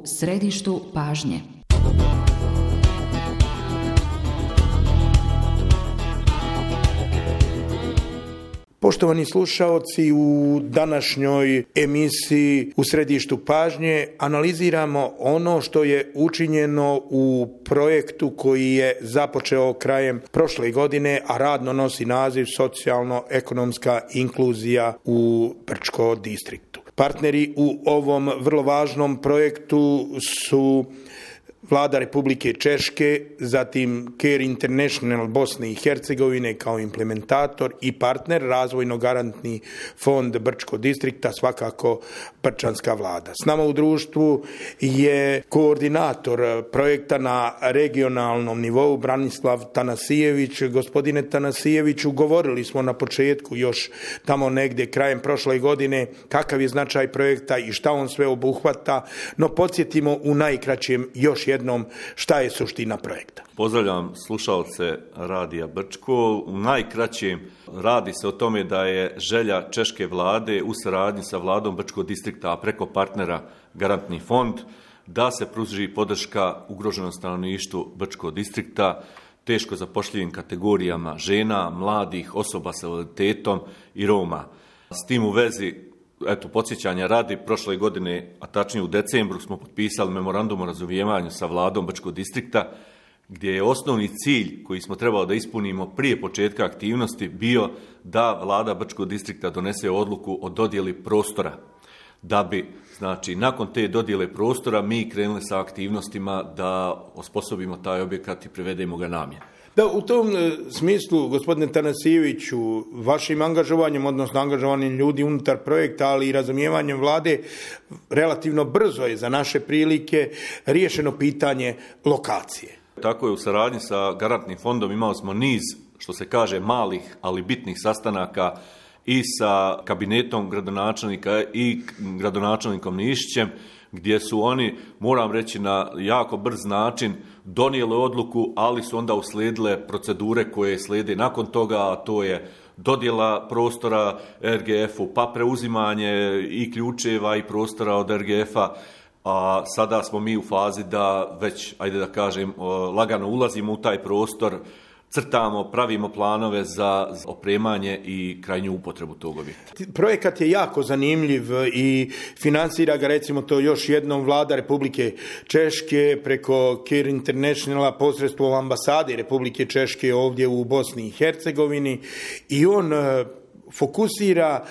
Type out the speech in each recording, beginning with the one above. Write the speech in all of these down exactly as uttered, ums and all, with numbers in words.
središtu pažnje. Poštovani slušaoci, u današnjoj emisiji U središtu pažnje analiziramo ono što je učinjeno u projektu koji je započeo krajem prošle godine, a radno nosi naziv Socijalno-ekonomska inkluzija u Brčko distriktu. Partneri u ovom vrlo važnom projektu su Vlada Republike Češke, zatim Care International Bosne i Hercegovine kao implementator i partner, razvojno-garantni fond Brčko distrikta, svakako Brčanska vlada. S nama u društvu je koordinator projekta na regionalnom nivou Branislav Tanasijević. Gospodine Tanasijeviću, govorili smo na početku još tamo negdje krajem prošle godine kakav je značaj projekta i šta on sve obuhvata, no podsjetimo u najkraćem još jednom šta je suština projekta. Pozdravljam slušalce Radija Brčko. U najkraćem radi se o tome da je želja češke vlade u saradnji sa vladom Brčko distrikta, a preko partnera Garantni fond, da se pruži podrška ugroženom stanovništvu Brčko distrikta, teško zapošljivim kategorijama žena, mladih, osoba sa invaliditetom i Roma. S tim u vezi, eto, podsjećanja radi, prošle godine, a tačnije u decembru, smo potpisali memorandum o razumijevanju sa vladom Brčko distrikta, gdje je osnovni cilj koji smo trebali da ispunimo prije početka aktivnosti bio da vlada Brčko distrikta donese odluku o dodjeli prostora. Da bi, znači, nakon te dodjele prostora mi krenuli sa aktivnostima da osposobimo taj objekat i privedemo ga namjeni. Da, u tom smislu, gospodine Tanasijeviću, vašim angažovanjem, odnosno angažovanjem ljudi unutar projekta, ali i razumijevanjem vlade, relativno brzo je za naše prilike riješeno pitanje lokacije. Tako je, u saradnji sa Garantnim fondom imali smo niz, što se kaže, malih, ali bitnih sastanaka i sa kabinetom gradonačelnika i gradonačelnikom Nišićem, gdje su oni, moram reći, na jako brz način donijeli odluku, ali su onda uslijedile procedure koje slijede nakon toga, a to je dodjela prostora er ge efu, pa preuzimanje i ključeva i prostora od er ge efa, a sada smo mi u fazi da već, ajde da kažem, lagano ulazimo u taj prostor, crtamo, pravimo planove za opremanje i krajnju upotrebu tog objekta. Projekat je jako zanimljiv i financira ga, recimo to još jednom, vlada Republike Češke preko Care Internationala posredstvom ambasade Republike Češke ovdje u Bosni i Hercegovini, i on fokusira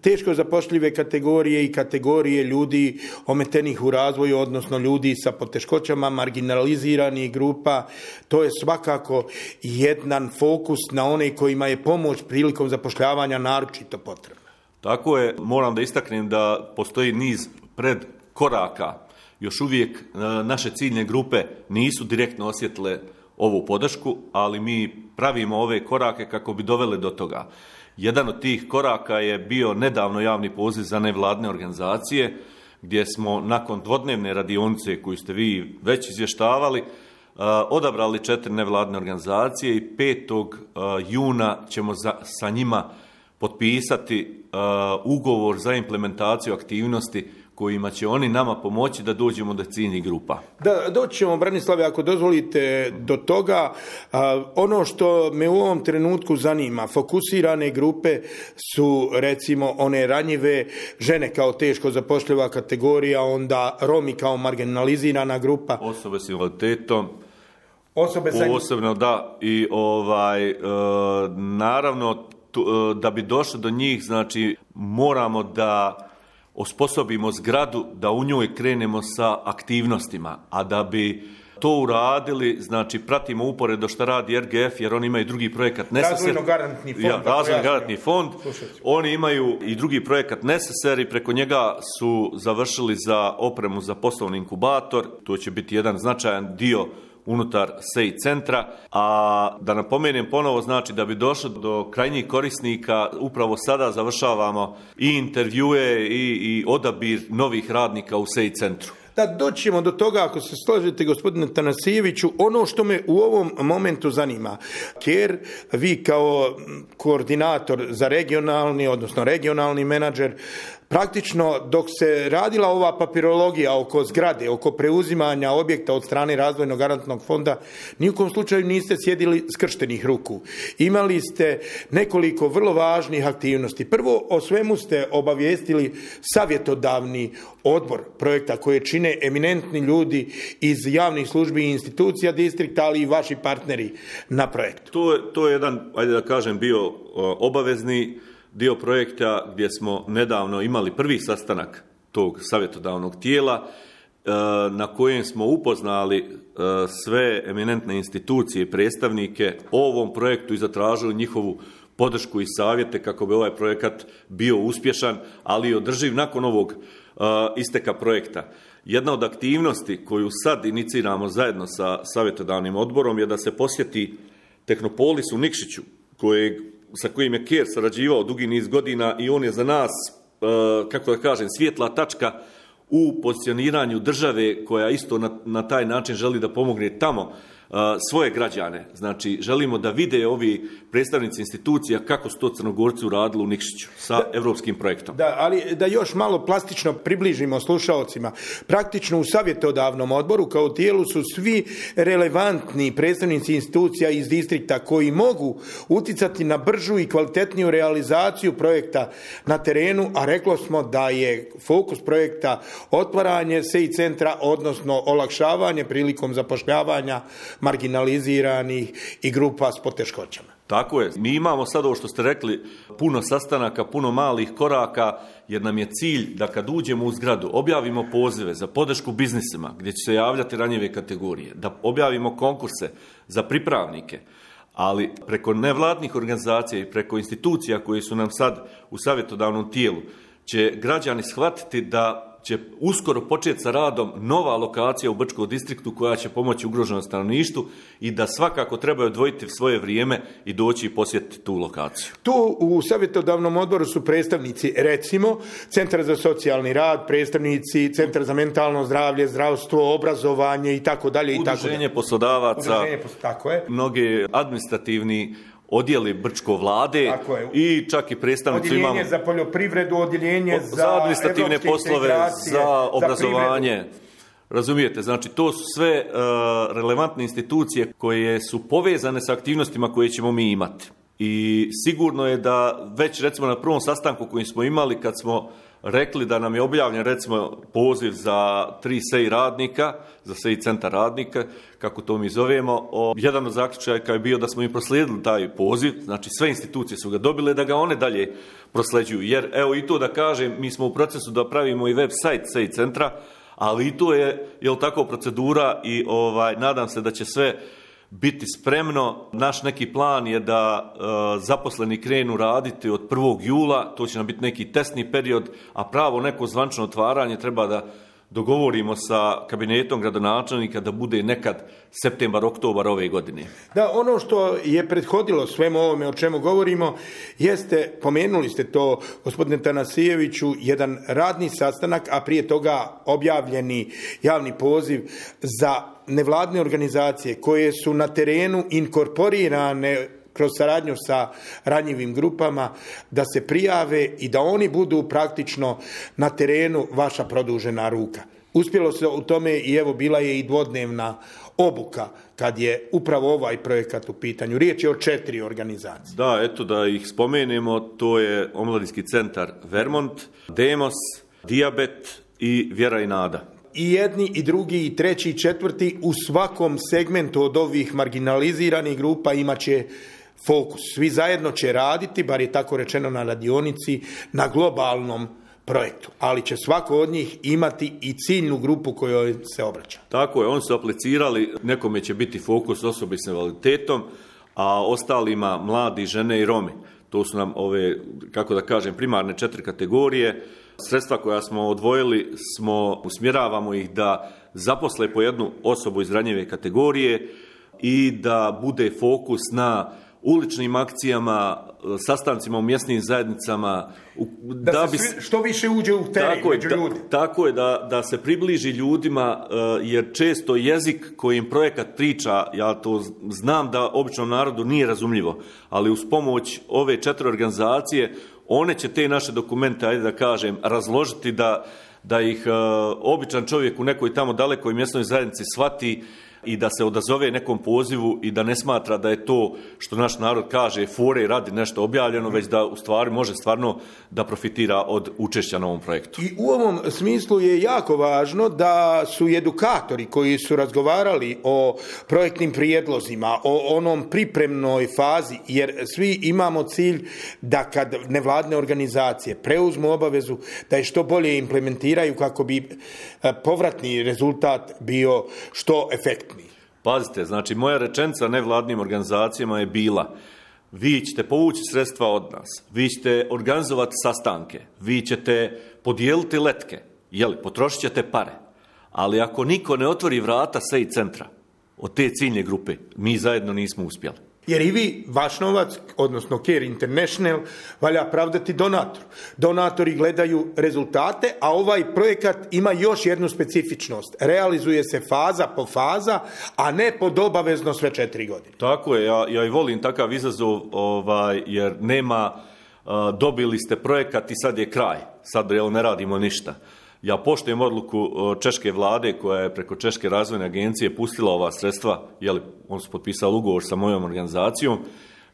teško zapošljive kategorije i kategorije ljudi ometenih u razvoju, odnosno ljudi sa poteškoćama, marginaliziranih grupa. To je svakako jedan fokus na one kojima je pomoć prilikom zapošljavanja naročito potrebna. Tako je, moram da istaknem da postoji niz predkoraka. Još uvijek naše ciljne grupe nisu direktno osjetile ovu podršku, ali mi pravimo ove korake kako bi doveli do toga. Jedan od tih koraka je bio nedavno javni poziv za nevladne organizacije, gdje smo nakon dvodnevne radionice koju ste vi već izvještavali, odabrali četiri nevladne organizacije i petog juna ćemo za, sa njima potpisati ugovor za implementaciju aktivnosti kojima će oni nama pomoći da dođemo do ciljnih grupa. Da, doći ćemo, Branislave, ako dozvolite, do toga. A, ono što me u ovom trenutku zanima, fokusirane grupe su, recimo, one ranjive, žene kao teško zapošljiva kategorija, onda Romi kao marginalizirana grupa. Osobe s invaliditetom. Osobe sa... Posebno, da, i ovaj, e, naravno, tu, e, da bi došli do njih, znači, moramo da osposobimo zgradu da u njoj krenemo sa aktivnostima, a da bi to uradili, znači pratimo uporedo što radi er ge ef, jer oni imaju drugi projekat Razvojno-garantni fond. Ja, Razvojno-garantni fond. Oni imaju i drugi projekat Neseser i preko njega su završili za opremu za poslovni inkubator. To će biti jedan značajan dio unutar S E I centra, a da napomenem ponovo, znači da bi došlo do krajnjih korisnika, upravo sada završavamo i intervjue i, i odabir novih radnika u S E I centru. Da doćemo do toga, ako se složite, gospodine Tanasijeviću, ono što me u ovom momentu zanima, jer vi kao koordinator za regionalni, odnosno regionalni menadžer, praktično dok se radila ova papirologija oko zgrade, oko preuzimanja objekta od strane Razvojnog garantnog fonda, ni u kom slučaju niste sjedili skrštenih ruku. Imali ste nekoliko vrlo važnih aktivnosti. Prvo, o svemu ste obavijestili savjetodavni odbor projekta koje čine eminentni ljudi iz javnih službi i institucija distrikta, ali i vaši partneri na projektu. To je, to je jedan, ajde da kažem, bio obavezni dio projekta gdje smo nedavno imali prvi sastanak tog savjetodavnog tijela na kojem smo upoznali sve eminentne institucije i predstavnike o ovom projektu i zatražili njihovu podršku i savjete kako bi ovaj projekat bio uspješan, ali i održiv nakon ovog isteka projekta. Jedna od aktivnosti koju sad iniciramo zajedno sa savjetodavnim odborom je da se posjeti Tehnopolis u Nikšiću, kojeg sa kojim je Ker sarađivao dugi niz godina i on je za nas, kako da kažem, svjetla tačka u pozicioniranju države koja isto na, na taj način želi da pomogne tamo svoje građane. Znači, želimo da vide ovi predstavnici institucija kako su to Crnogorci uradili u Nikšiću sa da, evropskim projektom. Da, ali da još malo plastično približimo slušaocima. Praktično u savjetodavnom odboru kao tijelu su svi relevantni predstavnici institucija iz distrikta koji mogu uticati na bržu i kvalitetniju realizaciju projekta na terenu, a reklo smo da je fokus projekta otvaranje S E I centra, odnosno olakšavanje prilikom zapošljavanja marginaliziranih i grupa s poteškoćama. Tako je. Mi imamo sad ovo što ste rekli, puno sastanaka, puno malih koraka, jer nam je cilj da kad uđemo u zgradu objavimo pozive za podršku biznisima gdje će se javljati ranjive kategorije, da objavimo konkurse za pripravnike, ali preko nevladnih organizacija i preko institucija koje su nam sad u savjetodavnom tijelu će građani shvatiti da će uskoro početi sa radom nova lokacija u Brčkom distriktu koja će pomoći ugroženom stanovništvu i da svakako trebaju odvojiti svoje vrijeme i doći i posjetiti tu lokaciju. Tu u savjetodavnom odboru su predstavnici, recimo, Centra za socijalni rad, predstavnici Centra za mentalno zdravlje, zdravstvo, obrazovanje i tako dalje. Udruženje poslodavaca, Udruženje, tako je. Mnogi administrativni odjeli Brčko vlade i čak i predstavnici odjeljenje imamo... Odjeljenje za poljoprivredu, odjeljenje za, za administrativne poslove, za obrazovanje. Za razumijete, znači to su sve uh, relevantne institucije koje su povezane sa aktivnostima koje ćemo mi imati. I sigurno je da već recimo na prvom sastanku koji smo imali kad smo rekli da nam je objavljen recimo poziv za tri S E I radnika, za S E I centar radnika, kako to mi zovemo. O, jedan od zaključaka je bio da smo im proslijedili taj poziv, znači sve institucije su ga dobile da ga one dalje prosleđuju. Jer evo i to da kažem, mi smo u procesu da pravimo i web sajt S E I centra, ali i to je, jel tako, procedura i ovaj, nadam se da će sve biti spremno. Naš neki plan je da e, zaposleni krenu raditi od prvog jula, to će nam biti neki testni period, a pravo neko zvančno otvaranje treba da dogovorimo sa kabinetom gradonačelnika da bude nekad septembar, oktobar ove godine. Da, ono što je prethodilo svemu ovome o čemu govorimo jeste, pomenuli ste to gospodine Tanasijeviću, jedan radni sastanak, a prije toga objavljeni javni poziv za nevladne organizacije koje su na terenu inkorporirane kroz saradnju sa ranjivim grupama, da se prijave i da oni budu praktično na terenu vaša produžena ruka. Uspjelo se u tome i evo bila je i dvodnevna obuka kad je upravo ovaj projekat u pitanju. Riječ je o četiri organizacije. Da, eto da ih spomenemo, to je Omladinski centar Vermont, Demos, Dijabet i Vjera i nada. I jedni, i drugi, i treći, i četvrti u svakom segmentu od ovih marginaliziranih grupa imat će fokus. Svi zajedno će raditi, bar je tako rečeno na radionici, na globalnom projektu. Ali će svako od njih imati i ciljnu grupu kojoj se obraća. Tako je, oni su aplicirali, nekome će biti fokus osobe s invaliditetom, a ostalima mladi, žene i Romi. To su nam ove, kako da kažem, primarne četiri kategorije. Sredstva koja smo odvojili, smo usmjeravamo ih da zaposle po jednu osobu iz ranjive kategorije i da bude fokus na uličnim akcijama, sastancima u mjesnim zajednicama. Da, da se bi, svi, što više uđe u teren među ljudi. Da, tako je, da, da se približi ljudima, jer često jezik kojim projekat priča, ja to znam da običnom narodu nije razumljivo, ali uz pomoć ove četiri organizacije, one će te naše dokumente, ajde da kažem, razložiti da, da ih uh, običan čovjek u nekoj tamo dalekoj mjesnoj zajednici shvati i da se odazove nekom pozivu i da ne smatra da je to, što naš narod kaže, fore radi nešto objavljeno, već da u stvari može stvarno da profitira od učešća na ovom projektu. I u ovom smislu je jako važno da su edukatori koji su razgovarali o projektnim prijedlozima, o onom pripremnoj fazi, jer svi imamo cilj da kad nevladne organizacije preuzmu obavezu, da je što bolje implementiraju kako bi povratni rezultat bio što efektniji. Pazite, znači moja rečenica nevladnim organizacijama je bila: vi ćete povući sredstva od nas, vi ćete organizovati sastanke, vi ćete podijeliti letke, jeli, potrošit ćete pare, ali ako niko ne otvori vrata S E I centra od te ciljne grupe, mi zajedno nismo uspjeli. Jer i vi, vaš novac, odnosno Care International, valja pravdati donatoru. Donatori gledaju rezultate, a ovaj projekat ima još jednu specifičnost. Realizuje se faza po faza, a ne pod obavezno sve četiri godine. Tako je, ja, ja i volim takav izazov, ovaj, jer nema, uh, dobili ste projekat i sad je kraj, sad jel, ne radimo ništa. Ja poštujem odluku češke vlade koja je preko Češke razvojne agencije pustila ova sredstva, jeli, on su potpisali ugovor sa mojom organizacijom,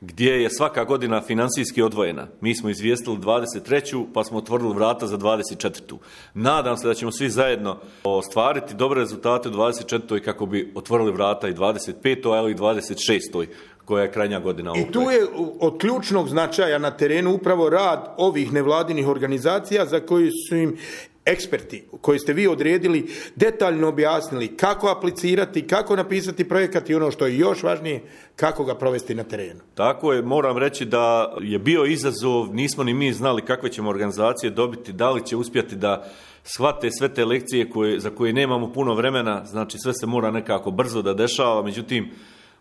gdje je svaka godina financijski odvojena. Mi smo izvijestili dvadeset treću pa smo otvorili vrata za dvadeset četvrtu. Nadam se da ćemo svi zajedno ostvariti dobre rezultate u dvadeset četvrtoj kako bi otvorili vrata i dvadeset petoj ali i dvadeset šestoj koja je krajnja godina ovog I tu je od ključnog značaja na terenu upravo rad ovih nevladinih organizacija za koji su im eksperti koji ste vi odredili detaljno objasnili kako aplicirati, kako napisati projekat i ono što je još važnije, kako ga provesti na terenu. Tako je, moram reći da je bio izazov, nismo ni mi znali kakve ćemo organizacije dobiti, da li će uspjeti da shvate sve te lekcije koje, za koje nemamo puno vremena, znači sve se mora nekako brzo da dešava, međutim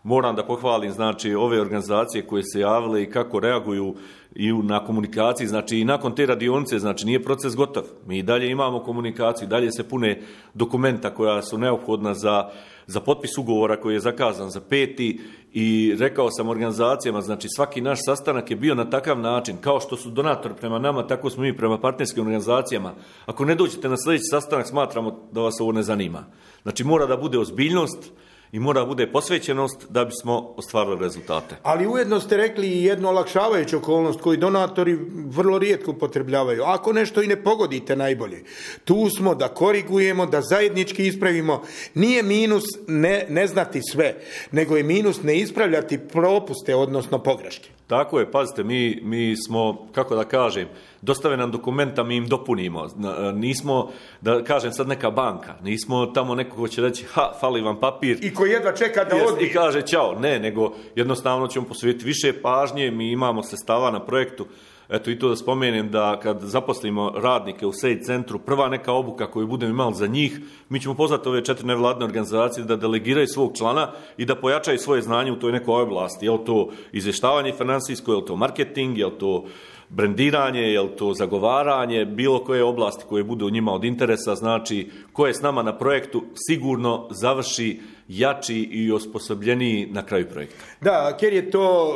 moram da pohvalim znači ove organizacije koje se javile i kako reaguju i na komunikaciji, znači i nakon te radionice, znači nije proces gotov. Mi i dalje imamo komunikaciju, dalje se pune dokumenta koja su neophodna za, za potpis ugovora koji je zakazan za peti i rekao sam organizacijama, znači svaki naš sastanak je bio na takav način, kao što su donatori prema nama, tako smo mi prema partnerskim organizacijama. Ako ne dođete na sljedeći sastanak, smatramo da vas ovo ne zanima. Znači mora da bude ozbiljnost i mora bude posvećenost da bismo ostvarili rezultate. Ali ujedno ste rekli i jednu olakšavajuću okolnost koju donatori vrlo rijetko upotrebljavaju. Ako nešto i ne pogodite najbolje, tu smo da korigujemo, da zajednički ispravimo. Nije minus ne, ne znati sve, nego je minus ne ispravljati propuste, odnosno pogreške. Tako je, pazite, mi, mi smo, kako da kažem, dostave nam dokumenta, mi im dopunimo. Nismo, da kažem sad neka banka, nismo tamo neko ko će reći, ha, fali vam papir. I ko jedva čeka da odbije. I kaže, ćao, ne, nego jednostavno ćemo posvetiti više pažnje, mi imamo sredstava na projektu. Eto i to da spomenem da kad zaposlimo radnike u S E I centru, prva neka obuka koju budemo imali za njih, mi ćemo pozvati ove četiri nevladne organizacije da delegiraju svog člana i da pojačaju svoje znanje u toj nekoj oblasti. Je li to izvještavanje financijsko, je li to marketing, je li to brendiranje, je li to zagovaranje, bilo koje oblasti koje budu njima od interesa, znači ko je s nama na projektu sigurno završi jači i osposobljeniji na kraju projekta. Da, Care je to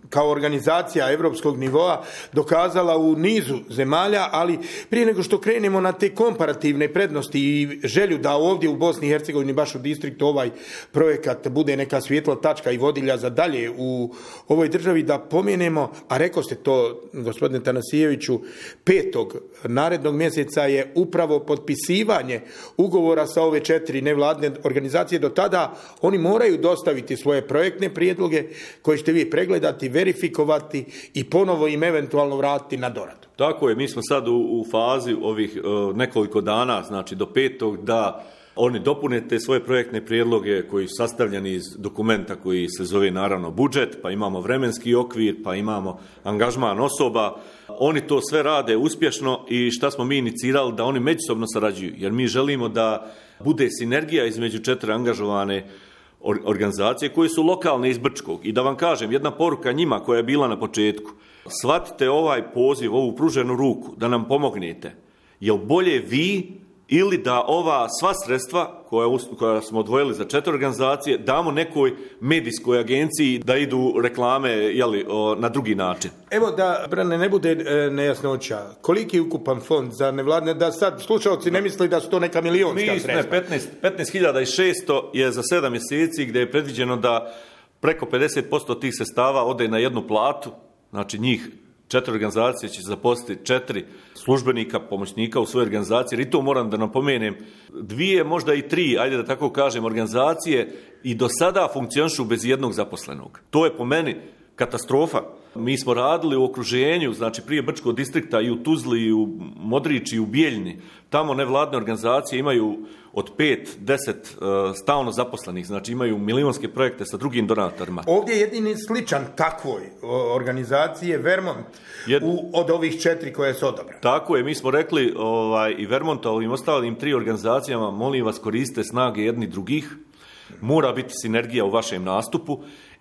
kao organizacija evropskog nivoa dokazala u nizu zemalja, ali prije nego što krenemo na te komparativne prednosti i želju da ovdje u Bosni i Hercegovini, baš u distriktu, ovaj projekat bude neka svjetla tačka i vodilja za dalje u ovoj državi, da pomenemo, a rekao ste to, gospodine Tanasijeviću, petog narednog mjeseca je upravo potpisivanje ugovora sa ove četiri nevladne organizacije. Do tada oni moraju dostaviti svoje projektne prijedloge koje ćete vi pregledati, verifikovati i ponovo im eventualno vratiti na doradu. Tako je, mi smo sad u, u fazi ovih uh, nekoliko dana, znači do petog, da oni dopune te svoje projektne prijedloge koji su sastavljeni iz dokumenta koji se zove naravno budžet, pa imamo vremenski okvir, pa imamo angažman osoba. Oni to sve rade uspješno i šta smo mi inicirali, da oni međusobno sarađuju, jer mi želimo da bude sinergija između četiri angažovane organizacije koje su lokalne iz Brčkog. I da vam kažem, jedna poruka njima koja je bila na početku. Shvatite ovaj poziv, ovu pruženu ruku, da nam pomognete. Jel bolje vi ili da ova sva sredstva koja, koja smo odvojili za četiri organizacije damo nekoj medijskoj agenciji da idu reklame jeli, o, na drugi način. Evo da, Brane, ne bude e, nejasnoća. Koliki je ukupan fond za nevladne, da sad slušalci ne misli da su to neka milionska Mi, sredstva? Ne, petnaest hiljada šesto je za sedam mjeseci gdje je predviđeno da preko pedeset posto tih sredstava ode na jednu platu, znači njih četiri organizacije će zaposliti četiri službenika, pomoćnika u svojoj organizaciji, jer i to moram da napomenem, dvije, možda i tri, ajde da tako kažem, organizacije i do sada funkcionišu bez jednog zaposlenog. To je po meni katastrofa. Mi smo radili u okruženju, znači prije Brčkog distrikta i u Tuzli, i u Modriči, i u Bijeljni. Tamo nevladne organizacije imaju od pet, deset uh, stalno zaposlenih, znači imaju milijunske projekte sa drugim donatorima. Ovdje je jedini sličan takvoj organizacije Vermont Jed... u, od ovih četiri koje su odabrane. Tako je, mi smo rekli ovaj, i Vermonta, ovim ostalim tri organizacijama, molim vas koriste snage jedni drugih, mora biti sinergija u vašem nastupu.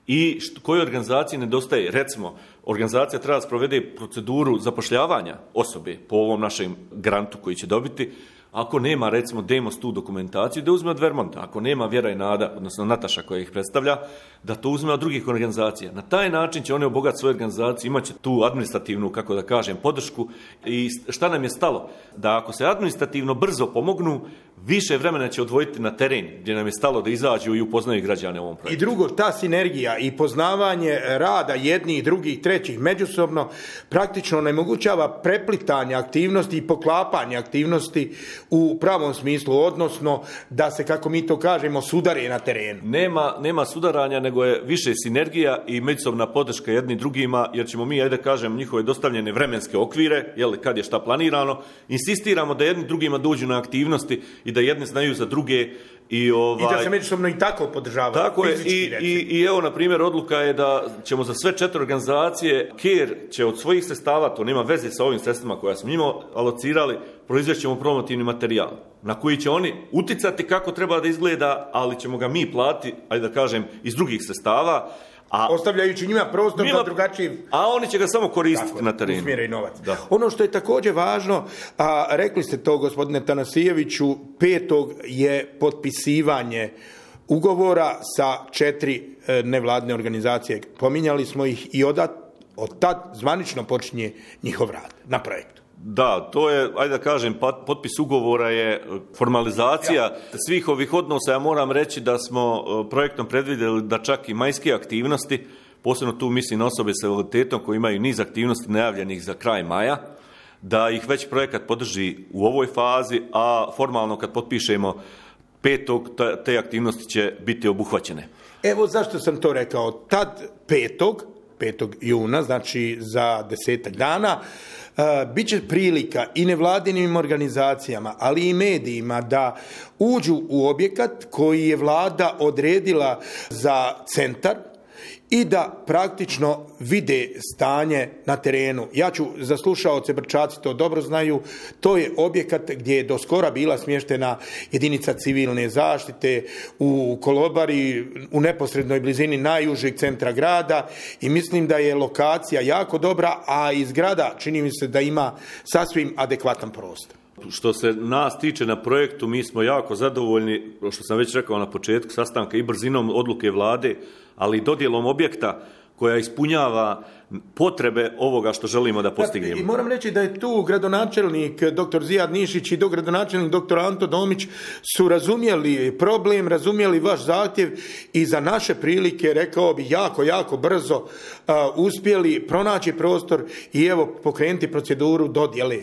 I što, kojoj organizaciji nedostaje? Recimo, organizacija treba da sprovede proceduru zapošljavanja osobe po ovom našem grantu koji će dobiti. Ako nema, recimo, Demos tu dokumentaciju, da uzme od Vermonta. Ako nema Vjera i Nada, odnosno Nataša koja ih predstavlja, da to uzme od drugih organizacija. Na taj način će oni obogatiti svoje organizacije, imat će tu administrativnu, kako da kažem, podršku. I šta nam je stalo? Da ako se administrativno brzo pomognu, više vremena će odvojiti na teren, gdje nam je stalo da izađu i upoznaju građane u ovom projektu. I drugo, ta sinergija i poznavanje rada jednih, drugih, trećih međusobno praktično onemogućava preplitanje aktivnosti i poklapanje aktivnosti u pravom smislu, odnosno da se, kako mi to kažemo, sudare na terenu. Nema, nema sudaranja, nego je više sinergija i međusobna podrška jedni drugima, jer ćemo mi, ajde kažem, njihove dostavljene vremenske okvire, jel, kad je šta planirano, insistiramo da jedni drugima dođu na aktivnosti i da jedni znaju za druge. I, ovaj, I da se međusobno i tako podržava. Tako je, i, i, i evo, na primjer, odluka je da ćemo za sve četiri organizacije, KER će od svojih sredstava, to nema veze sa ovim sredstvima koja smo njima alocirali, proizvest ćemo promotivni materijal, na koji će oni uticati kako treba da izgleda, ali ćemo ga mi platiti, ajde da kažem, iz drugih sredstava. A, ostavljajući njima prostor za drugačiji... A oni će ga samo koristiti tako, na terenu. Usmjere i novac. Da. Ono što je također važno, a rekli ste to, gospodine Tanasijeviću, petog je potpisivanje ugovora sa četiri e, nevladne organizacije. Pominjali smo ih i od, od tad zvanično počinje njihov rad na projektu. Da, to je, ajde da kažem, potpis ugovora je formalizacija ja. svih ovih odnosa. Ja moram reći da smo projektom predvidjeli da čak i majske aktivnosti, posebno tu mislim na osobe sa invaliditetom koji imaju niz aktivnosti najavljenih za kraj maja, da ih već projekat podrži u ovoj fazi, a formalno kad potpišemo petog, te aktivnosti će biti obuhvaćene. Evo zašto sam to rekao. Tad petog, petog juna, znači za desetak dana, Uh, bit će prilika i nevladinim organizacijama, ali i medijima da uđu u objekat koji je vlada odredila za centar i da praktično vide stanje na terenu. Ja ću, za slušaoce, Brčaci to dobro znaju, to je objekat gdje je do skora bila smještena jedinica civilne zaštite u Kolobari, u neposrednoj blizini najužeg centra grada, i mislim da je lokacija jako dobra, a i zgrada čini mi se da ima sasvim adekvatan prostor. Što se nas tiče na projektu, mi smo jako zadovoljni, što sam već rekao na početku sastanka, i brzinom odluke vlade, ali i dodjelom objekta koja ispunjava potrebe ovoga što želimo da postignemo. I moram reći da je tu gradonačelnik doktor Zijad Nišić i dogradonačelnik doktor Anto Domić su razumjeli problem, razumjeli vaš zahtjev i za naše prilike, rekao bi, jako, jako brzo uh, uspjeli pronaći prostor i evo pokrenuti proceduru dodjele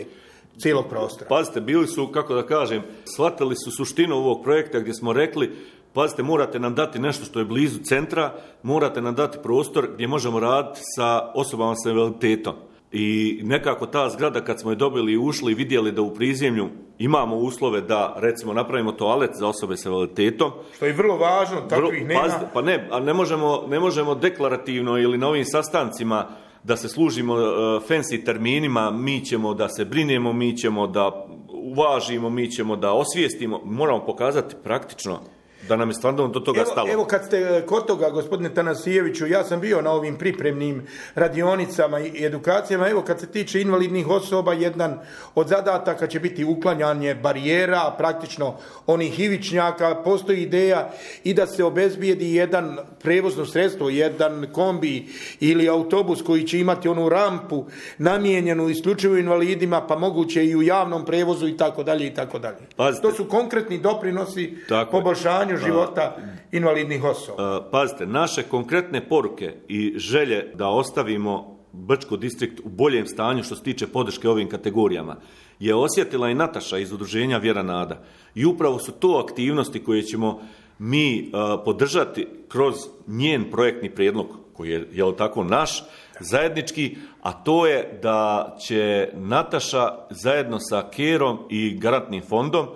cijelog prostora. Pazite, bili su, kako da kažem, shvatili su suštinu ovog projekta gdje smo rekli, pazite, morate nam dati nešto što je blizu centra, morate nam dati prostor gdje možemo raditi sa osobama sa invaliditetom. I nekako ta zgrada, kad smo je dobili i ušli i vidjeli da u prizemlju imamo uslove da, recimo, napravimo toalet za osobe sa invaliditetom. Što je vrlo važno, takvih nema. Pazite, pa ne, a ne možemo, ne možemo deklarativno ili na ovim sastancima da se služimo uh, fancy terminima, mi ćemo da se brinemo, mi ćemo da uvažimo, mi ćemo da osvijestimo, moramo pokazati praktično da nam je stvarno do toga evo, stalo. Evo kad ste kod toga, gospodine Tanasijeviću, ja sam bio na ovim pripremnim radionicama i edukacijama, evo kad se tiče invalidnih osoba, jedan od zadataka će biti uklanjanje barijera, praktično onih ivičnjaka, postoji ideja i da se obezbijedi jedan prevozno sredstvo, jedan kombi ili autobus koji će imati onu rampu namijenjenu isključivo invalidima, pa moguće i u javnom prevozu i tako dalje i tako dalje. To su konkretni doprinosi tako poboljšanju života invalidnih osoba. Pazite, naše konkretne poruke i želje da ostavimo Brčko distrikt u boljem stanju što se tiče podrške ovim kategorijama je osjetila i Nataša iz udruženja Vjera Nada. I upravo su to aktivnosti koje ćemo mi podržati kroz njen projektni prijedlog koji je, jel tako, naš, zajednički, a to je da će Nataša zajedno sa Kerom i Garantnim fondom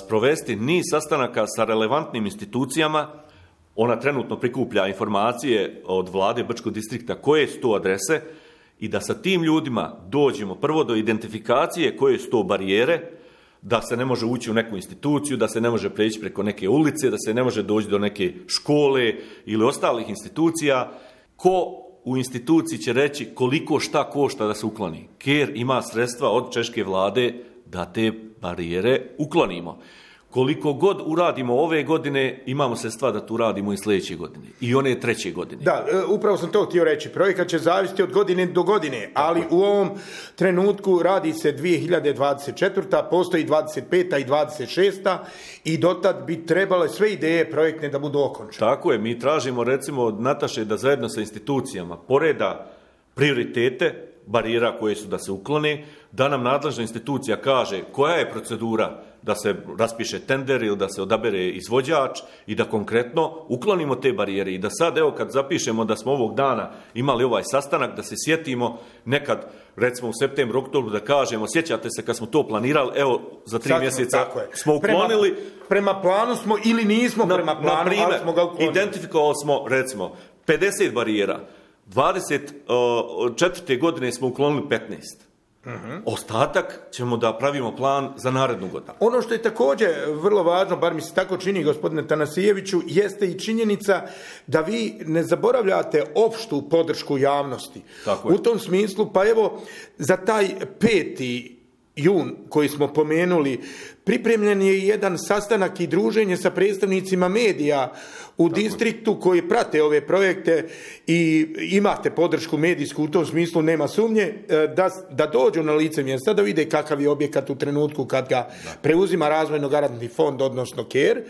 sprovesti niz sastanaka sa relevantnim institucijama. Ona trenutno prikuplja informacije od vlade Brčkog distrikta koje su to adrese i da sa tim ljudima dođemo prvo do identifikacije koje su to barijere, da se ne može ući u neku instituciju, da se ne može preći preko neke ulice, da se ne može doći do neke škole ili ostalih institucija. Ko u instituciji će reći koliko šta košta da se ukloni? Ker ima sredstva od češke vlade da te barijere uklonimo. Koliko god uradimo ove godine, imamo sredstva da tu radimo i sljedeće godine. I one treće godine. Da, upravo sam to htio reći. Projekat će zavisiti od godine do godine, ali u ovom trenutku radi se dvije hiljade dvadeset četvrta. Postoji dvadeset peta i dvadeset šesta i dotad bi trebale sve ideje projektne da budu okončane. Tako je, mi tražimo recimo od Nataše da zajedno sa institucijama poreda prioritete barijera koje su da se uklone, da nam nadležna institucija kaže koja je procedura da se raspiše tender ili da se odabere izvođač i da konkretno uklonimo te barijere. I da sad, evo, kad zapišemo da smo ovog dana imali ovaj sastanak, da se sjetimo nekad, recimo u septembru, oktobru, da kažemo, sjećate se kad smo to planirali, evo, za tri sad, mjeseca smo uklonili. Prema, prema planu smo ili nismo na, prema planu, na primjer, ali smo ga uklonili. Identifikovali smo, recimo, pedeset barijera. dvadeset četvrte godine smo uklonili petnaest. Uh-huh. Ostatak ćemo da pravimo plan za narednu godinu. Ono što je također vrlo važno, bar mi se tako čini, gospodine Tanasijeviću, jeste i činjenica da vi ne zaboravljate opštu podršku javnosti. Tako u tom smislu, pa evo, za taj peti jun koji smo pomenuli, pripremljen je jedan sastanak i druženje sa predstavnicima medija u Tako distriktu je. koji prate ove projekte i imate podršku medijsku, u tom smislu nema sumnje, da, da dođu na lice mjesta, da vide kakav je objekat u trenutku kad ga da. preuzima Razvojno garantni fond, odnosno Ker,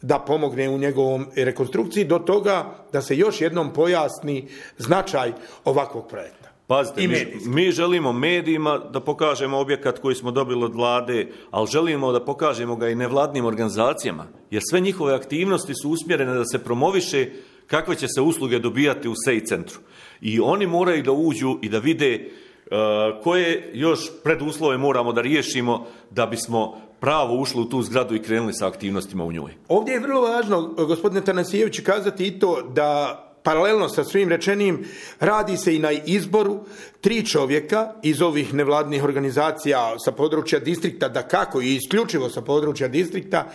da pomogne u njegovom rekonstrukciji, do toga da se još jednom pojasni značaj ovakvog projekta. Pazite, mi, mi želimo medijima da pokažemo objekat koji smo dobili od vlade, ali želimo da pokažemo ga i nevladnim organizacijama, jer sve njihove aktivnosti su usmjerene da se promoviše kakve će se usluge dobijati u S E I centru. I oni moraju da uđu i da vide uh, koje još preduslove moramo da riješimo da bismo pravo ušli u tu zgradu i krenuli sa aktivnostima u njoj. Ovdje je vrlo važno, gospodine Tanasijević, kazati i to da paralelno sa svim rečenim, radi se i na izboru tri čovjeka iz ovih nevladnih organizacija sa područja distrikta, da kako i isključivo sa područja distrikta,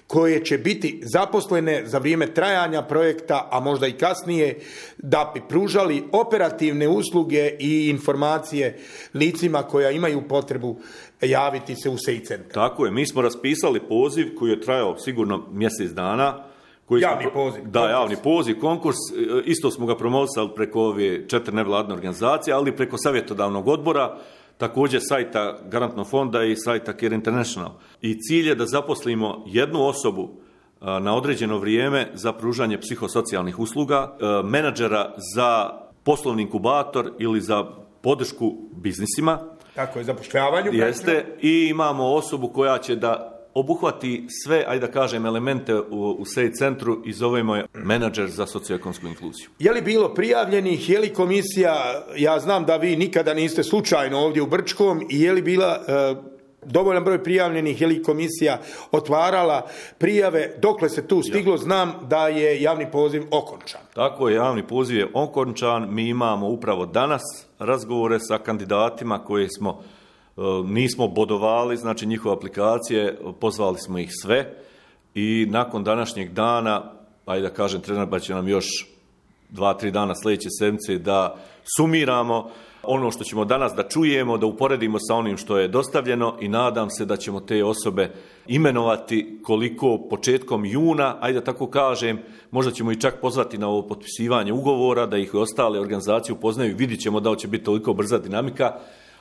koje će biti zaposlene za vrijeme trajanja projekta, a možda i kasnije, da bi pružali operativne usluge i informacije licima koja imaju potrebu javiti se u S E I centar. Tako je, mi smo raspisali poziv koji je trajao sigurno mjesec dana. Koji javni smo, poziv. Da, konkurs. javni poziv, konkurs. Isto smo ga promovisali preko ove četiri nevladne organizacije, ali preko savjetodavnog odbora, također sajta Garantnog fonda i sajta Care International. I cilj je da zaposlimo jednu osobu na određeno vrijeme za pružanje psihosocijalnih usluga, menadžera za poslovni inkubator ili za podršku biznisima. Tako je, zapošljavanju. Jeste, i imamo osobu koja će da obuhvati sve, ajde da kažem, elemente u, u S E I centru i zovemo je menadžer za socioekonomsku inkluziju. Je li bilo prijavljenih, je li komisija, ja znam da vi nikada niste slučajno ovdje u Brčkom, i je li bila e, dovoljan broj prijavljenih, je li komisija otvarala prijave, dokle se tu stiglo, znam da je javni poziv okončan. Tako je, javni poziv je okončan, mi imamo upravo danas razgovore sa kandidatima koje smo nismo bodovali, znači njihove aplikacije, pozvali smo ih sve i nakon današnjeg dana, ajde da kažem, trener će nam još dva, tri dana sljedeće sedmice da sumiramo ono što ćemo danas da čujemo, da uporedimo sa onim što je dostavljeno i nadam se da ćemo te osobe imenovati koliko početkom juna, ajde da tako kažem, možda ćemo i čak pozvati na ovo potpisivanje ugovora, da ih i ostale organizacije upoznaju, vidit ćemo da će biti toliko brza dinamika,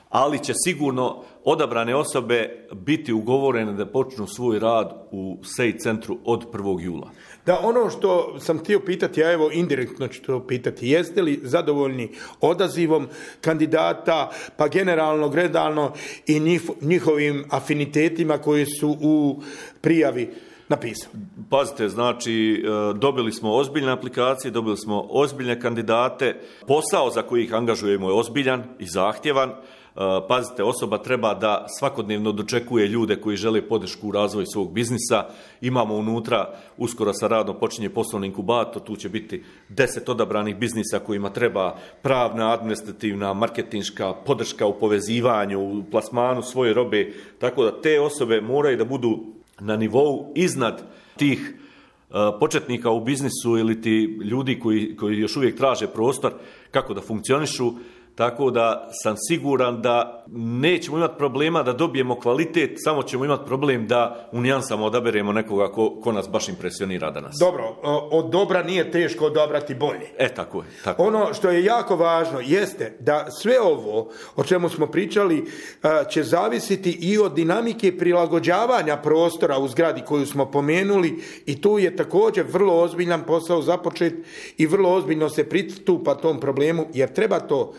ali će sigurno odabrane osobe biti ugovorene da počnu svoj rad u S E I centru od prvog jula. Da, ono što sam htio pitati, a evo indirektno ću to pitati, jeste li zadovoljni odazivom kandidata, pa generalno, gledano i njihovim afinitetima koji su u prijavi napisali? Pazite, znači dobili smo ozbiljne aplikacije, dobili smo ozbiljne kandidate, posao za koji ih angažujemo je ozbiljan i zahtjevan. Pazite, osoba treba da svakodnevno dočekuje ljude koji žele podršku u razvoju svog biznisa. Imamo unutra, uskoro sa radom počinje poslovni inkubator, tu će biti deset odabranih biznisa kojima treba pravna, administrativna, marketinška podrška u povezivanju, u plasmanu svoje robe, tako da te osobe moraju da budu na nivou iznad tih početnika u biznisu ili ti ljudi koji, koji još uvijek traže prostor kako da funkcionišu. Tako da sam siguran da nećemo imati problema da dobijemo kvalitet, samo ćemo imati problem da u nijansama odaberemo nekoga ko, ko nas baš impresionira danas. Dobro, od dobra nije teško odabrati bolje. E, tako je. Tako. Ono što je jako važno jeste da sve ovo o čemu smo pričali će zavisiti i od dinamike prilagođavanja prostora u zgradi koju smo pomenuli i tu je također vrlo ozbiljan posao započet i vrlo ozbiljno se pristupa tom problemu jer treba to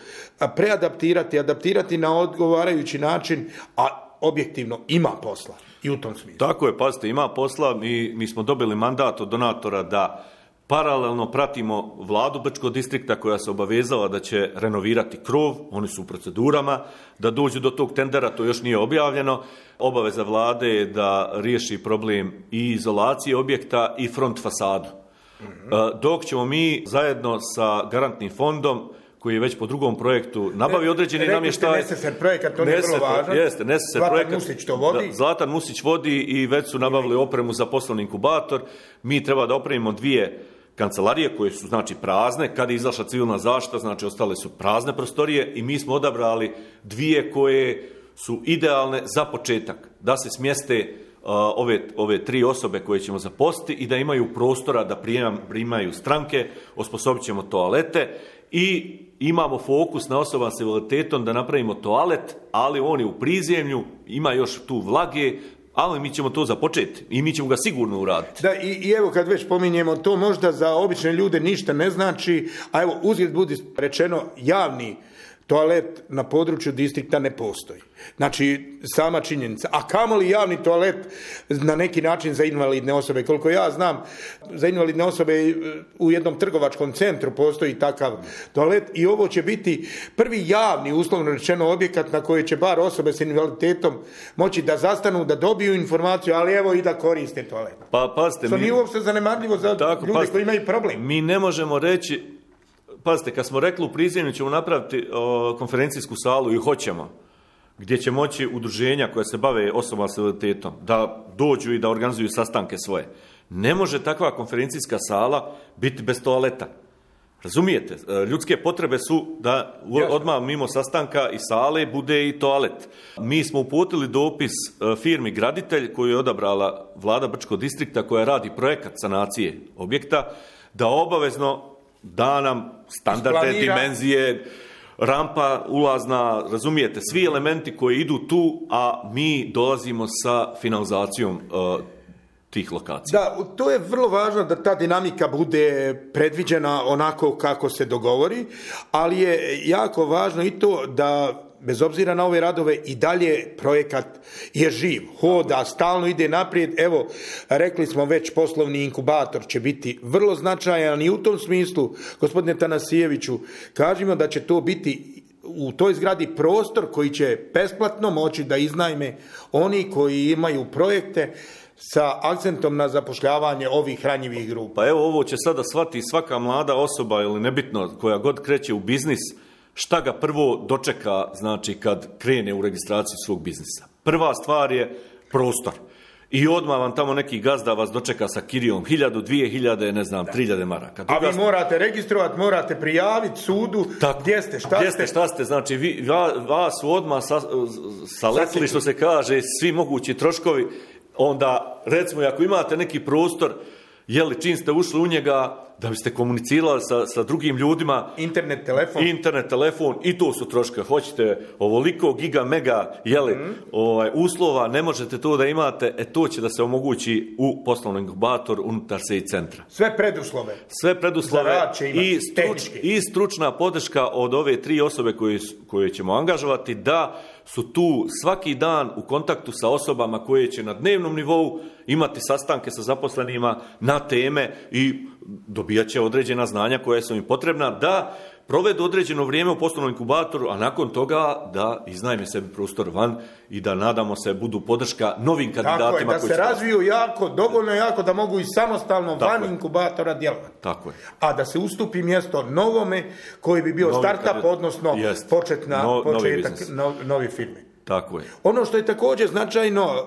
preadaptirati, adaptirati na odgovarajući način, a objektivno ima posla i u tom smislu. Tako je, pazite, ima posla. Mi, mi smo dobili mandat od donatora da paralelno pratimo vladu Brčkog distrikta koja se obavezala da će renovirati krov, oni su u procedurama, da dođu do tog tendera, to još nije objavljeno. Obaveza vlade je da riješi problem i izolacije objekta i front fasadu. Mm-hmm. Dok ćemo mi zajedno sa garantnim fondom koji je već po drugom projektu nabavi određeni namještaj. Rekli ste projekat, to je vrlo važno. Jeste, Neseser Zlatan projekat. Musić to vodi. Da, Zlatan Musić vodi i već su nabavili opremu za poslovni inkubator. Mi treba da opremimo dvije kancelarije koje su znači prazne. Kad je izašla civilna zaštita, znači ostale su prazne prostorije i mi smo odabrali dvije koje su idealne za početak. Da se smjeste uh, ove, ove tri osobe koje ćemo zaposliti i da imaju prostora da prijemam, primaju stranke, osposobit ćemo toalete i imamo fokus na osoba s invaliditetom da napravimo toalet, ali on je u prizemlju, ima još tu vlage, ali mi ćemo to započeti i mi ćemo ga sigurno uraditi. Da, i, i evo kad već pominjemo, to možda za obične ljude ništa ne znači, a evo uzgled budi rečeno, javni toalet na području distrikta ne postoji. Znači, sama činjenica. A kamoli javni toalet na neki način za invalidne osobe. Koliko ja znam, za invalidne osobe u jednom trgovačkom centru postoji takav toalet i ovo će biti prvi javni, uslovno rečeno, objekat na koji će bar osobe s invaliditetom moći da zastanu, da dobiju informaciju, ali evo i da koriste toalet. Pa, pazite, što mi, nije uopšte zanemarljivo za tako, ljude pazite, koji imaju problem. Mi ne možemo reći, pazite, kad smo rekli u prizemlju ćemo napraviti o, konferencijsku salu i hoćemo, gdje će moći udruženja koja se bave osobama s invaliditetom da dođu i da organizuju sastanke svoje. Ne može takva konferencijska sala biti bez toaleta. Razumijete? Ljudske potrebe su da odmah mimo sastanka i sale bude i toalet. Mi smo uputili dopis firmi Graditelj koju je odabrala vlada Brčkog distrikta koja radi projekat sanacije objekta da obavezno da nam standardne dimenzije, rampa ulazna, razumijete, svi elementi koji idu tu, a mi dolazimo sa finalizacijom uh, tih lokacija. Da, to je vrlo važno da ta dinamika bude predviđena onako kako se dogovori, ali je jako važno i to da bez obzira na ove radove i dalje projekat je živ, hoda, stalno ide naprijed. Evo, rekli smo već poslovni inkubator će biti vrlo značajan i u tom smislu, gospodine Tanasijeviću, kažemo da će to biti u toj zgradi prostor koji će besplatno moći da iznajme oni koji imaju projekte sa akcentom na zapošljavanje ovih ranjivih grupa. Pa evo, ovo će sada shvatiti svaka mlada osoba ili nebitno koja god kreće u biznis, šta ga prvo dočeka, znači, kad krene u registraciju svog biznisa. Prva stvar je prostor. i odmah vam tamo neki gazda vas dočeka sa kirijom hiljadu, dvije hiljade, ne znam, tri hiljade maraka. A vi morate registrovati, morate prijaviti sudu tako, gdje ste, šta gdje ste. Šta ste, znači vi, vas su odmah sa, saletili, što se kaže, svi mogući troškovi. Onda, recimo, ako imate neki prostor, jeli, čim ste ušli u njega, da biste komunicirali sa, sa drugim ljudima. Internet, telefon. Internet, telefon, i to su troške. Hoćete ovoliko giga, mega, jeli, mm. ovaj, uslova, ne možete to da imate, e to će da se omogući u poslovnom inkubatoru unutar S E I centra. Sve preduslove. Sve preduslove i, struč, i stručna podrška od ove tri osobe koje, koje ćemo angažovati, da su tu svaki dan u kontaktu sa osobama koje će na dnevnom nivou imati sastanke sa zaposlenima na teme i dobijat će određena znanja koja su im potrebna da provedu određeno vrijeme u poslovnom inkubatoru, a nakon toga da iznajme sebi prostor van i da, nadamo se, budu podrška novim kandidatima. Tako je, da se razviju jako, dovoljno jako da mogu i samostalno Tako van je. inkubatora djelovati. Tako je. A da se ustupi mjesto novome koji bi bio Novi startup, kandidat. odnosno Jest. početna, No, početak novi, no, novi firme. Tako je. Ono što je također značajno,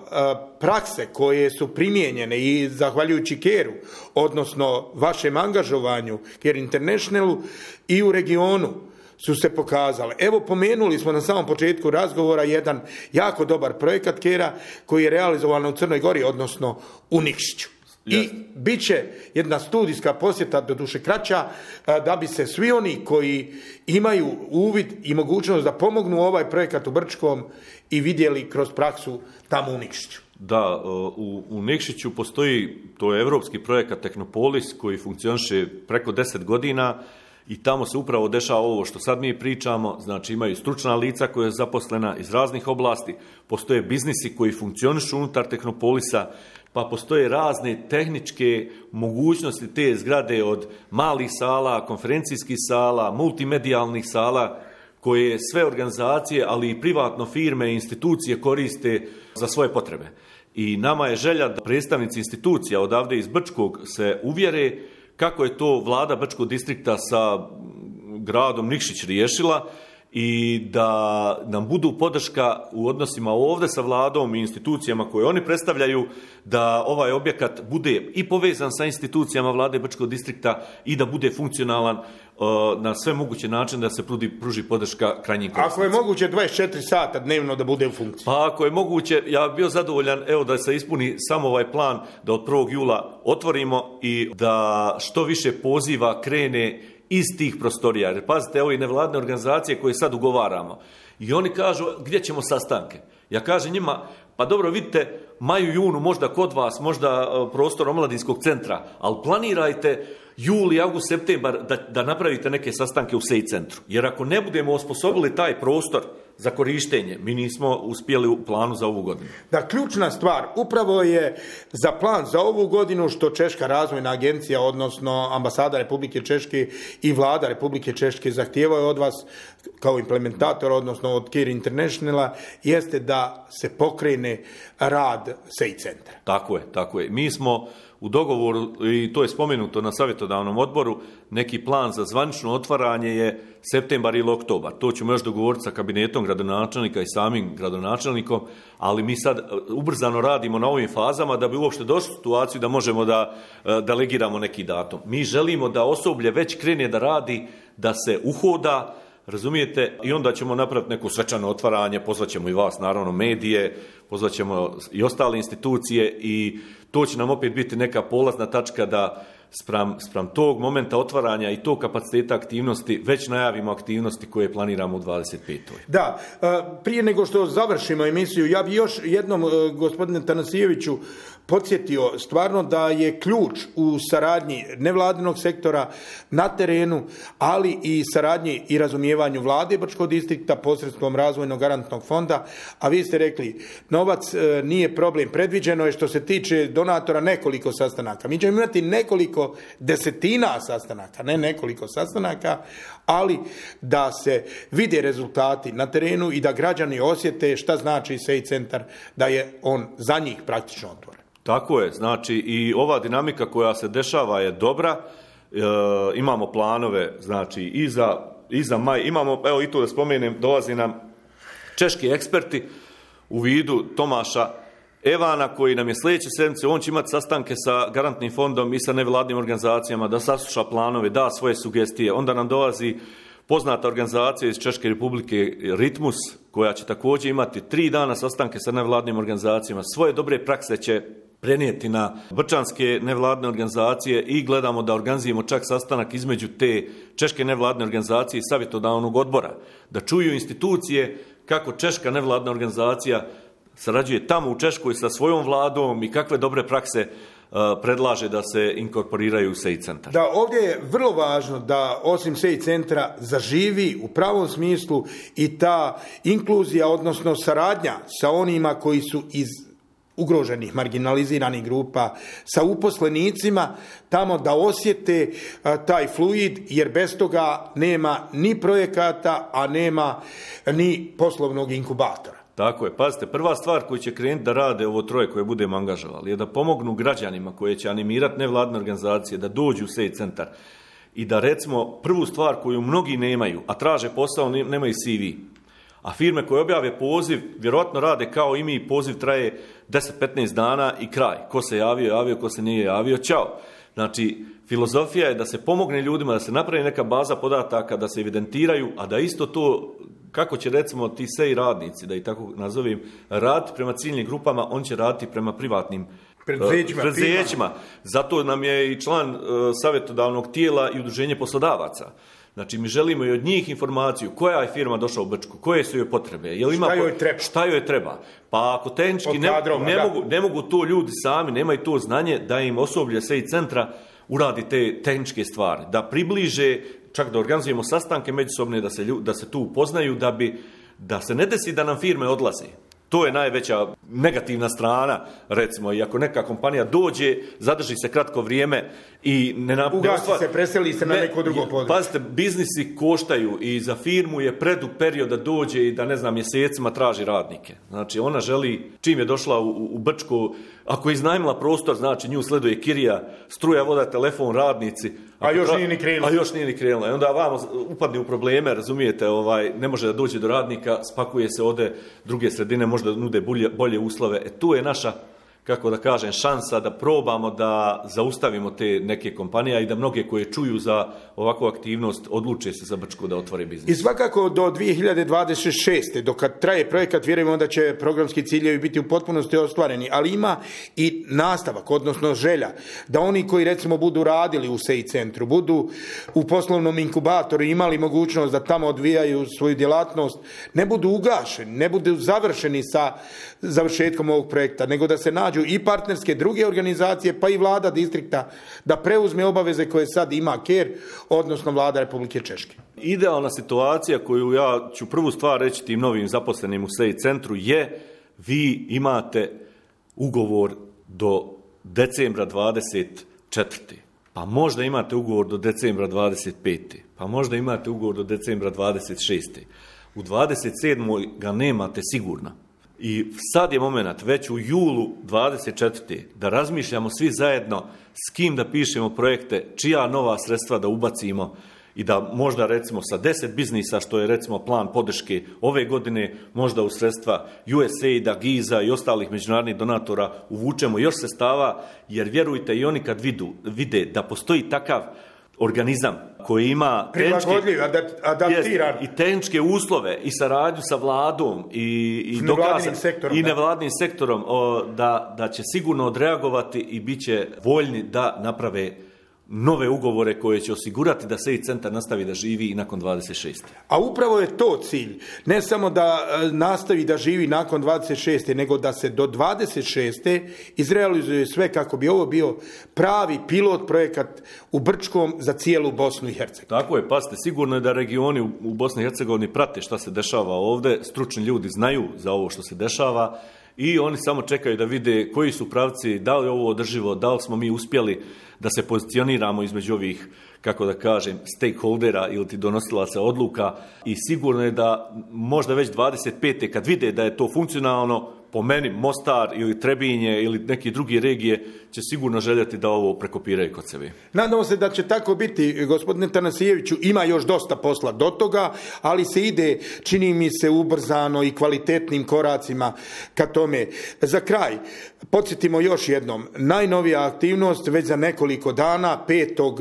prakse koje su primijenjene i zahvaljujući Keru, odnosno vašem angažovanju Care Internationalu i u regionu, su se pokazale. Evo, pomenuli smo na samom početku razgovora jedan jako dobar projekat Kera koji je realizovan u Crnoj Gori, odnosno u Nikšiću. I bit će jedna studijska posjeta, doduše kraća, da bi se svi oni koji imaju uvid i mogućnost da pomognu ovaj projekat u Brčkom i vidjeli kroz praksu tamo u Nikšiću. Da, u, u Nikšiću postoji, to je evropski projekat Tehnopolis koji funkcioniše preko deset godina i tamo se upravo dešava ovo što sad mi pričamo, znači imaju stručna lica koja je zaposlena iz raznih oblasti, postoje biznisi koji funkcionišu unutar Tehnopolisa, pa postoje razne tehničke mogućnosti te zgrade od malih sala, konferencijskih sala, multimedijalnih sala, koje sve organizacije, ali i privatno firme i institucije koriste za svoje potrebe. I nama je želja da predstavnici institucija odavde iz Brčkog se uvjere kako je to vlada Brčkog distrikta sa gradom Nikšić riješila i da nam budu podrška u odnosima ovdje sa vladom i institucijama koje oni predstavljaju, da ovaj objekat bude i povezan sa institucijama vlade Brčkog distrikta i da bude funkcionalan uh, na sve moguće način da se pruži, pruži podrška krajnjim korisnicima. Ako je moguće dvadeset četiri sata dnevno da bude u funkciji? Pa ako je moguće, ja bih bio zadovoljan, evo, da se ispuni samo ovaj plan da od prvog jula otvorimo i da što više poziva krene iz tih prostorija. Jer pazite, evo i nevladne organizacije koje sad ugovaramo. I oni kažu, gdje ćemo sastanke? Ja kažem njima, pa dobro, vidite, maju, junu, možda kod vas, možda prostor omladinskog centra, ali planirajte juli, avgust, septembar da, da napravite neke sastanke u S E I centru. Jer ako ne budemo osposobili taj prostor za korištenje, mi nismo uspjeli u planu za ovu godinu. Da, ključna stvar upravo je za plan za ovu godinu što Češka razvojna agencija, odnosno ambasada Republike Češke i vlada Republike Češke zahtijevaju od vas kao implementator, odnosno od Care Internationala, jeste da se pokrene rad S E I centra. Tako je, tako je. Mi smo u dogovoru, i to je spomenuto na savjetodavnom odboru, neki plan za zvanično otvaranje je septembar ili oktobar. To ćemo još dogovoriti sa kabinetom gradonačelnika i samim gradonačelnikom, ali mi sad ubrzano radimo na ovim fazama da bi uopšte došli u situaciju da možemo da delegiramo neki datum. Mi želimo da osoblje već krene da radi, da se uhoda, razumijete, i onda ćemo napraviti neko svečano otvaranje, pozvaćemo i vas, naravno, medije, pozvaćemo i ostale institucije i to će nam opet biti neka polazna tačka da spram, spram tog momenta otvaranja i tog kapaciteta aktivnosti već najavimo aktivnosti koje planiramo u dvadeset petoj. Da, prije nego što završimo emisiju, ja bi još jednom, gospodine Tanasijeviću, podsjetio stvarno da je ključ u saradnji nevladinog sektora na terenu, ali i saradnji i razumijevanju vlade Brčkog distrikta posredstvom razvojnog garantnog fonda, a vi ste rekli, novac nije problem, predviđeno je što se tiče donatora nekoliko sastanaka. Mi ćemo imati nekoliko desetina sastanaka, ne nekoliko sastanaka, ali da se vide rezultati na terenu i da građani osjete šta znači S E I centar, da je on za njih praktično otvoren. Tako je, znači i ova dinamika koja se dešava je dobra, e, imamo planove, znači i za, i za maj, imamo, evo i tu da spomenem, dolazi nam češki eksperti u vidu Tomaša Evana koji nam je sljedeće sedmice, on će imati sastanke sa garantnim fondom i sa nevladnim organizacijama, da sasluša planove, da svoje sugestije. Onda nam dolazi poznata organizacija iz Češke republike Ritmus, koja će također imati tri dana sastanke sa nevladnim organizacijama. Svoje dobre prakse će prenijeti na brčanske nevladne organizacije i gledamo da organizujemo čak sastanak između te češke nevladne organizacije i savjetodavnog odbora. Da čuju institucije kako češka nevladna organizacija sarađuje tamo u Češkoj sa svojom vladom i kakve dobre prakse uh, predlaže da se inkorporiraju u S E I centar. Da, ovdje je vrlo važno da osim S E I centra zaživi u pravom smislu i ta inkluzija, odnosno saradnja sa onima koji su iz ugroženih, marginaliziranih grupa, sa uposlenicima, tamo da osjete a, taj fluid, jer bez toga nema ni projekata, a nema ni poslovnog inkubatora. Tako je, pazite, prva stvar koju će krenuti da rade ovo troje koje budemo angažovali je da pomognu građanima koje će animirati nevladne organizacije da dođu u S E I centar i da recimo prvu stvar koju mnogi nemaju, a traže posao, nemaju C V. A firme koje objave poziv, vjerojatno rade kao i mi, poziv traje deset do petnaest dana i kraj. Ko se javio, javio, ko se nije javio, čao. Znači, filozofija je da se pomogne ljudima, da se napravi neka baza podataka, da se evidentiraju, a da isto to, kako će recimo ti S E I radnici, da ih tako nazovem, raditi prema ciljnim grupama, on će raditi prema privatnim preduzećima. preduzećima. Zato nam je i član uh, savjetodavnog tijela i udruženje poslodavaca. Znači, mi želimo i od njih informaciju koja je firma došla u Brčku, koje su joj potrebe, jel ima, šta joj treba, šta joj treba. Pa ako tehnički ne, ne, mogu, ne mogu to ljudi sami, nemaju to znanje, da im osoblje S E I centra uradi te tehničke stvari, da približe, čak da organizujemo sastanke međusobne, da se, da se tu upoznaju, da, bi, da se ne desi da nam firme odlaze. To je najveća negativna strana, recimo, i ako neka kompanija dođe, zadrži se kratko vrijeme i ne napravi... Ugasi se, preseli se na ne, neko drugo područje. Pazite, biznisi koštaju i za firmu je predug period da dođe i da, ne znam, mjesecima traži radnike. Znači, ona želi, čim je došla u, u Brčku, ako je iznajmila prostor, znači nju sleduje kirija, struja, voda, telefon, radnici. A još tra... nije ni krenula. A još nije ni krenula. I onda vamo upadne u probleme, razumijete, ovaj, ne može da dođe do radnika, spakuje se, ode druge sredine, možda nude bolje, bolje uslove. E tu je naša, kako da kažem, šansa da probamo da zaustavimo te neke kompanije i da mnoge koje čuju za ovakvu aktivnost odluče se za Brčku da otvore biznis. I svakako do dvije hiljade dvadeset šeste. dok kad traje projekat, vjerujemo da će programski ciljevi biti u potpunosti ostvareni, ali ima i nastavak, odnosno želja, da oni koji recimo budu radili u S E I centru, budu u poslovnom inkubatoru, imali mogućnost da tamo odvijaju svoju djelatnost, ne budu ugašeni, ne budu završeni sa završetkom ovog projekta, nego da se nađu i partnerske druge organizacije, pa i vlada distrikta da preuzme obaveze koje sad ima K E R, odnosno vlada Republike Češke. Idealna situacija koju ja ću prvu stvar reći tim novim zaposlenim u S E I centru je vi imate ugovor do decembra dvadeset četvrte. Pa možda imate ugovor do decembra dvadeset pete. Pa možda imate ugovor do decembra dvadeset šeste. U dvadeset sedmoj ga nemate sigurno. I sad je moment, već u julu dvadeset četvrte da razmišljamo svi zajedno s kim da pišemo projekte, čija nova sredstva da ubacimo i da možda recimo sa deset biznisa, što je recimo plan podrške ove godine, možda u sredstva U S A I D-a, Giza i ostalih međunarodnih donatora uvučemo još sredstava, jer vjerujte i oni kad vidu, vide da postoji takav organizam koji ima prilagodljiv, adaptiran i tehničke uslove i saradnju sa vladom i, i, nevladnim sektorom, i nevladnim sektorom o, da, da će sigurno odreagovati i bit će voljni da naprave nove ugovore koje će osigurati da S E I centar nastavi da živi i nakon dvadeset šeste. A upravo je to cilj. Ne samo da nastavi da živi nakon dvadeset šeste, nego da se do dvadeset šeste izrealizuje sve kako bi ovo bio pravi pilot projekat u Brčkom za cijelu Bosnu i Hercegovinu. Tako je, pazite, sigurno je da regioni u Bosni i Hercegovini prate šta se dešava ovdje, stručni ljudi znaju za ovo što se dešava i oni samo čekaju da vide koji su pravci, da li je ovo održivo, da li smo mi uspjeli da se pozicioniramo između ovih, kako da kažem, stakeholdera ili ti donosilaca odluka i sigurno je da možda već dvadeset pete kad vide da je to funkcionalno, po meni Mostar ili Trebinje ili neki drugi regije će sigurno željeti da ovo prekopiraju kod sebe. Nadamo se da će tako biti, gospodine Tanasijeviću, ima još dosta posla do toga, ali se ide, čini mi se, ubrzano i kvalitetnim koracima ka tome. Za kraj, podsjetimo još jednom, najnovija aktivnost već za nekoliko dana, petog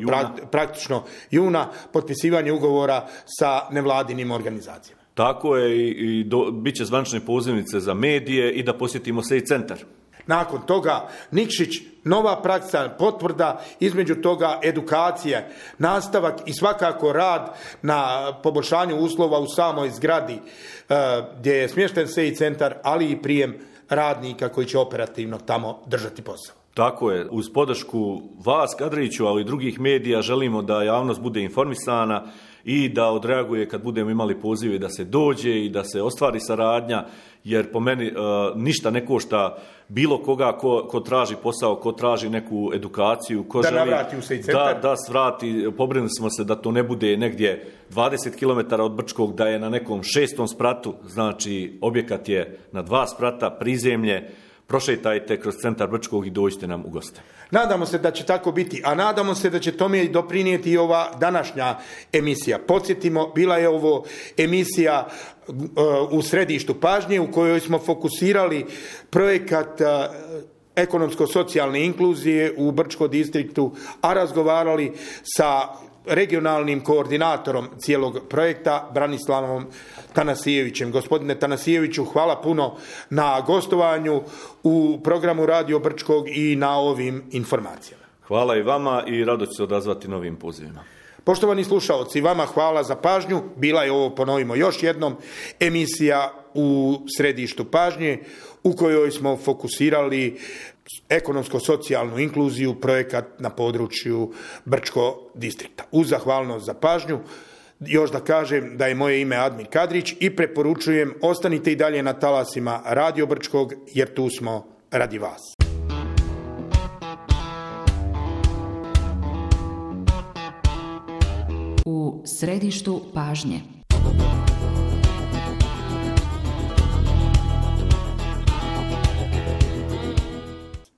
pra, praktično juna, potpisivanje ugovora sa nevladinim organizacijama. Tako je, i, i do, bit će zvanične pozivnice za medije i da posjetimo se i centar. Nakon toga Nikšić, nova praksa, potvrda, između toga edukacije, nastavak i svakako rad na poboljšanju uslova u samoj zgradi uh, gdje je smješten S E I centar, ali i prijem radnika koji će operativno tamo držati posao. Tako je, uz podršku vas, Kadriću, ali i drugih medija, želimo da javnost bude informisana i da odreaguje kad budemo imali pozive da se dođe i da se ostvari saradnja, jer po meni e, želite ne košta bilo koga ko, ko traži posao, ko traži neku edukaciju, ko da želi navrati u S E I centar. Da, da svrati, pobrinuli smo se da to ne bude negdje dvadeset kilometara od Brčkog, da je na nekom šestom spratu, znači objekat je na dva sprata, prizemlje. Prošetajte kroz centar Brčkog i dođite nam u goste. Nadamo se da će tako biti, a nadamo se da će tome doprinijeti i ova današnja emisija. Podsjetimo, bila je ovo emisija uh, u središtu pažnje u kojoj smo fokusirali projekat uh, ekonomsko-socijalne inkluzije u Brčkom distriktu, a razgovarali sa regionalnim koordinatorom cijelog projekta, Branislavom Tanasijevićem. Gospodine Tanasijeviću, hvala puno na gostovanju u programu Radio Brčkog i na ovim informacijama. Hvala i vama i rado ću se odazvati novim pozivima. Poštovani slušaoci, vama hvala za pažnju. Bila je ovo, ponovimo još jednom, emisija u središtu pažnje u kojoj smo fokusirali ekonomsko-socijalnu inkluziju, projekat na području Brčkog distrikta. Uz zahvalnost za pažnju, još da kažem da je moje ime Admir Kadrić i preporučujem ostanite i dalje na talasima Radio Brčkog jer tu smo radi vas. U središtu pažnje.